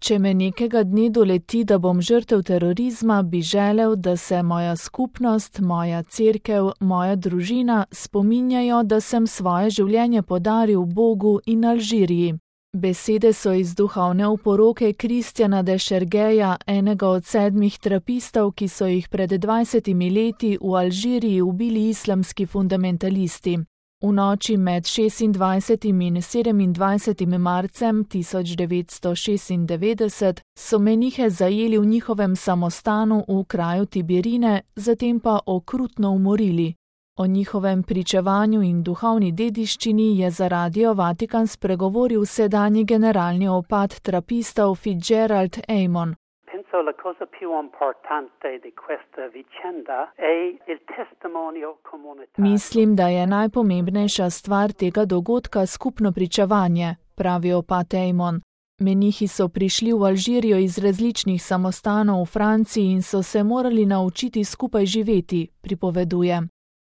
Če me nekega dne doleti, da bom žrtev terorizma, bi želel, da se moja skupnost, moja cerkev, moja družina spominjajo, da sem svoje življenje podaril Bogu in Alžiriji. Besede so iz duhovne oporoke Kristjana de Šergeja, enega od 7 trapistov, ki so jih pred 20 leti v Alžiriji ubili islamski fundamentalisti. V noči med 26. in 27. marcem 1996 so menihe zajeli v njihovem samostanu v kraju Tiberine, zatem pa okrutno umorili. O njihovem pričevanju in duhovni dediščini je za Radio Vatikan spregovoril sedanji generalni opat trapistov Fitzgerald Amon. La cosa più importante di questa vicenda è il testimonial comunitario. Mislim, da je najpomembnejša stvar tega dogodka skupno pričevanje, pravi opat Amon. Menihi so prišli v Alžirijo iz različnih samostanov v Franciji in so se morali naučiti skupaj živeti, pripoveduje.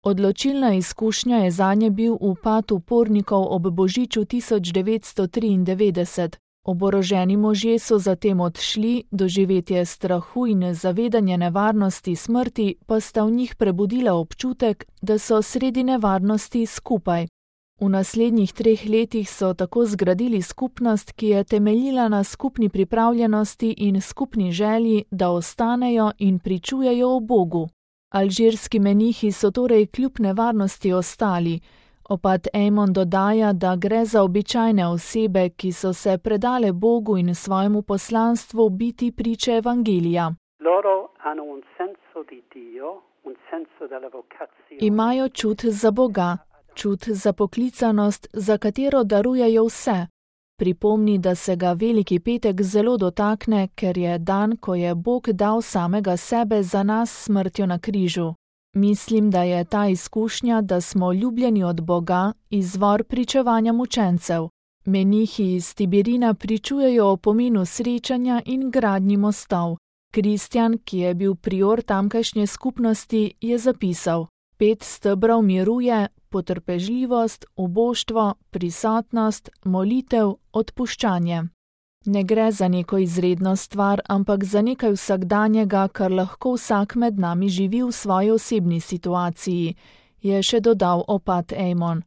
Odločilna izkušnja je zanje bil upad upornikov ob božiču 1993. Oboroženi možje so zatem odšli, doživetje strahu in zavedanje nevarnosti smrti pa sta v njih prebudila občutek, da so sredi nevarnosti skupaj. V naslednjih 3 letih so tako zgradili skupnost, ki je temeljila na skupni pripravljenosti in skupni želji, da ostanejo in pričujejo o Bogu. Alžirski menihi so torej kljub nevarnosti ostali. Opat Amon dodaja, da gre za običajne osebe, ki so se predale Bogu in svojemu poslanstvu biti priče evangelija. Imajo čut za Boga, čut za poklicanost, za katero darujejo vse. Pripomni, da se ga Veliki petek zelo dotakne, ker je dan, ko je Bog dal samega sebe za nas smrtjo na križu. Mislim, da je ta izkušnja, da smo ljubljeni od Boga, izvor pričevanja mučencev. Menihi iz Tiberina pričujejo o pomenu srečanja in gradnji mostov. Kristjan, ki je bil prior tamkajšnje skupnosti, je zapisal: 5 stebrov miru je potrpežljivost, uboštvo, prisotnost, molitev, odpuščanje. Ne gre za neko izredno stvar, ampak za nekaj vsakdanjega, kar lahko vsak med nami živi v svoji osebni situaciji, je še dodal opat Amon.